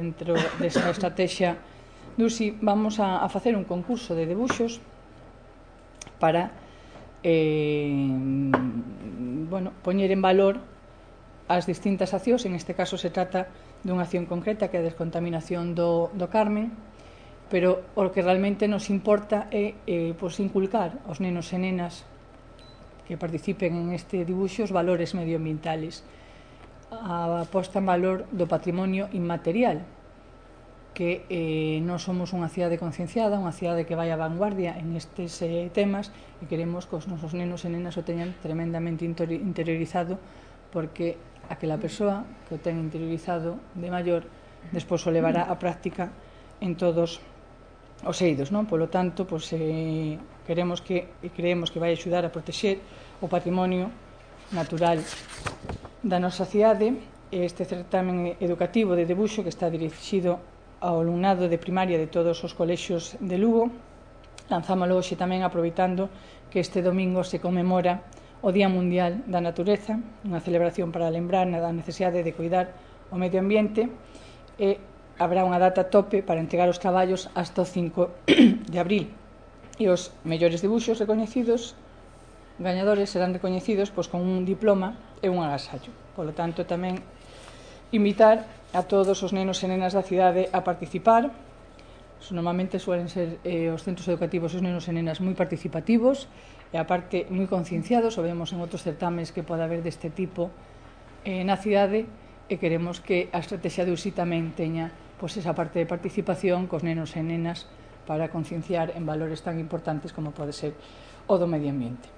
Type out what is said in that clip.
dentro desa estrategia do USI vamos a facer un concurso de debuxos para poñer en valor as distintas accións. En este caso se trata dunha acción concreta que é a descontaminación do Carmen, pero o que realmente nos importa é inculcar aos nenos e nenas que participen en este dibuixo os valores medioambientales, a posta en valor do patrimonio inmaterial, que nós somos unha cidade concienciada, unha cidade que vai á vanguardia en estes temas, e queremos que os nosos nenos e nenas o teñan tremendamente interiorizado, porque aquela persoa que o ten interiorizado de maior despois o levará á práctica en todos os eidos, non? Polo tanto, queremos que creemos que vai axudar a protexer o patrimonio natural da nosa cidade. Este certamen educativo de debuxo, que está dirixido ao alumnado de primaria de todos os colexios de Lugo, lanzámolo hoxe tamén aproveitando que este domingo se conmemora o Día Mundial da Natureza, unha celebración para lembrar da necesidade de cuidar o medio ambiente, e habrá unha data tope para entregar os traballos hasta o 5 de abril, e os mellores debuxos recoñecidos, gañadores, serán recoñecidos con un diploma e un agasallo. Polo tanto, tamén invitar a todos os nenos e nenas da cidade a participar. Normalmente suelen ser os centros educativos os nenos e nenas moi participativos e aparte moi concienciados, o vemos en outros certames que pode haber deste tipo na cidade, e queremos que a estrategia de USI tamén teña esa parte de participación cos nenos e nenas para concienciar en valores tan importantes como pode ser o do medio ambiente.